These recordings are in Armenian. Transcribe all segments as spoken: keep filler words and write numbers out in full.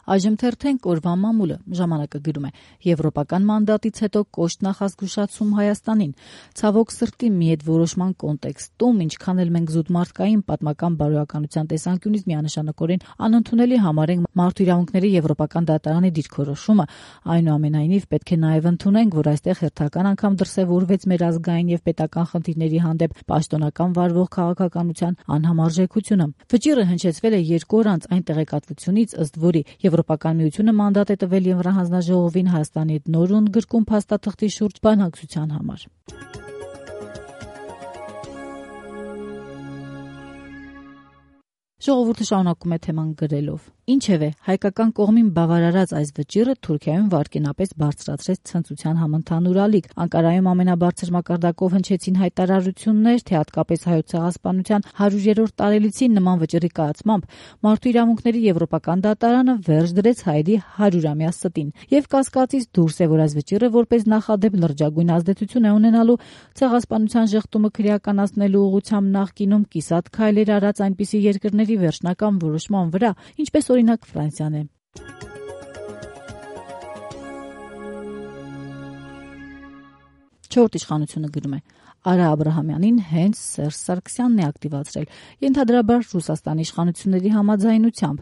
Այժմ թերթենք օրվա մամուլը, ժամանակը գրում է. Եվրոպական մանդատից հետո կոշտ նախազգուշացում Հայաստանին, ցավոք սրտի մի հետ որոշման կոնտեքստում, ինչքան էլ մենք զուտ մարդկային պատմական բարոյականության տեսանկյունից միանշանակորեն անընդունելի համարենք մարդու իրավունքների Եվրոպական դատարանի դիրքորոշումը, այնուամենայնիվ պետք է նաև ընդունենք, որ այստեղ հերթական անգամ դրսևորվեց մեր ազգային եւ պետական խնդիրների հանդեպ պաշտոնական վարվող քաղաքականության անհամարժեքությունը։ Վճիռը հնչեցվել է երկու օր անց այն տեղեկատվությունից, ըստ որի Եվրոպական միությունը մանդատ է տվել Եվրահանձնաժողովին Հայաստանի հետ նոր ու ընդգրկուն փաստաթղթի շուրջ բանակցության համար։ Ժողովուրդը շարունակում է թեման գրելով. Ինչևէ, հայկական կողմին բավարարած այս վճիռը Թուրքիայում վարկենապես բարձրացրեց ցնծության համընդհանուր ալիք։ Անկարայում ամենաբարձր մակարդակով հնչեցին հայտարարություններ, թե հատկապես հայոց ցեղասպանության հարյուրերորդ տարելիցին նման վճիռի կայացմամբ մարդու իրավունքների Եվրոպական դատարանը վերջ դրեց հայերի հարյուրամյա ստին։ Եվ կասկածից դուրս է, որ այս վճիռը որպես նախադեպ լրջագույն ազդեցություն է ունենալու ցեղասպանության ժխտումը քրեականացնելու ուղղությամբ նախկինում կիսատ քայլեր արած այնպիսի երկրների վերջնական որոշման վրա, ինչպես օրինակ Ֆրանսիան է։ Չորրորդ իշխանությունը գրում է. Արա Աբրահամյանին հենց Սերժ Սարգսյանն է ակտիվացրել, ենթադրաբար Ռուսաստանի իշխանությունների համաձայնությամբ,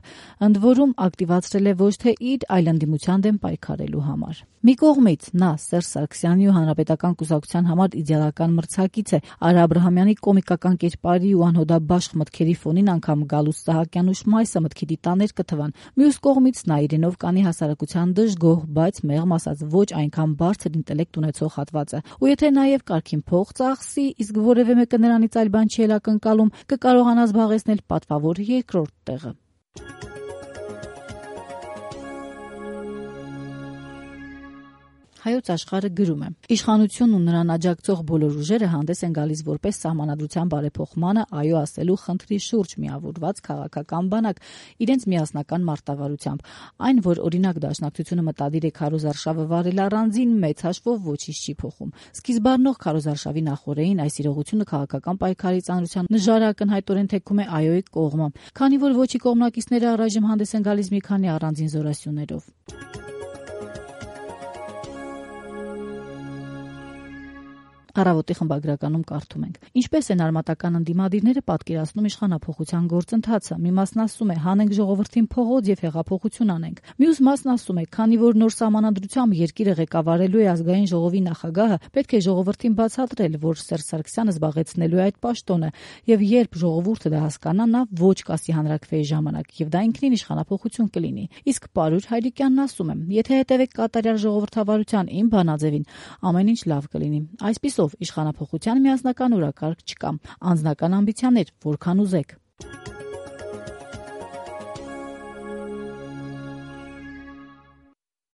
ընդ որում ակտիվացրել է ոչ թե իր, այլ ընդդիմության դեմ պայքարելու համար։ Մի կողմից նա Սերժ Սարգսյանի ու Հանրապետական կուսակցության համար իդեալական մրցակից է, Արա Աբրահամյանի կոմիկական կերպարի ու անհոդաբաշխ մտքերի ֆոնին անգամ Գալուստ Սահակյան ու Շմայսը մտքի դիտաներ կթվան։ Մյուս կողմից նա իրենով կանի հասարակության դժգոհ, բայց մեղմ ասած ոչ այնքան բարձր ինտելեկտ ունեցող հատվածը։ Ու եթե նաև կարգին փող ծախսի, իսկ որևէ մեկը նրանից այլ բան չի էլ ակնկալում, կկարողանա զբաղեցնել պատվավոր երկրորդ տեղը։ Հայոց աշխարհը գրում է. Իշխանությունն ու նրան աջակցող բոլոր ուժերը հանդես են գալիս որպես սահմանադրության բարեփոխմանը այո ասելու խնդրի շուրջ միավորված քաղաքական բանակ իրենց միասնական մարտավարությամբ։ Այն, որ օրինակ Դաշնակցությունը մտադիր է քարոզարշավը վարել առանձին, մեծ հաշվով ոչինչ չի փոխում։ Սկիզբառնող քարոզարշավի նախօրեին այս իրողությունը քաղաքական պայքարի ծանրության նժարը ակնհայտորեն թեքում է այոյի կողմը, քանի որ ոչի կողմնակիցները առայժմ հանդես են գալիս մի քանի առանձին զորասյուններով։ Առավոտի խմբագրականում կարդում ենք. Ինչպես են արմատական ընդդիմադիրները պատկերացնում իշխանափոխության գործընթացը։ Մի մասն ասում է՝ հանենք ժողովրդին փողոց եւ հեղափոխություն անենք։ Մյուս մասն ասում է՝ քանի որ նոր սահմանադրությամբ երկիրը ղեկավարելու է ազգային ժողովի նախագահը, պետք է ժողովրդին բացատրել, որ Սերժ Սարգսյանը զբաղեցնելու է այդ պաշտոնը, եւ երբ ժողովուրդը դա հասկանա, նա ոչ կասի հանրաքվեի ժամանակ, եւ դա ինքնին իշխանափոխություն կլինի։ Իսկ Պարուր Հայրիկյանն ասում է՝ եթե հետևեք կատարյալ ժողովրդավարության իմ բանաձևին, ամեն ինչ լավ կլինի։ Այսպիսով իշխանափոխության միասնական օրակարգ չկա, անձնական ամբիցիաներ որքան ուզեք։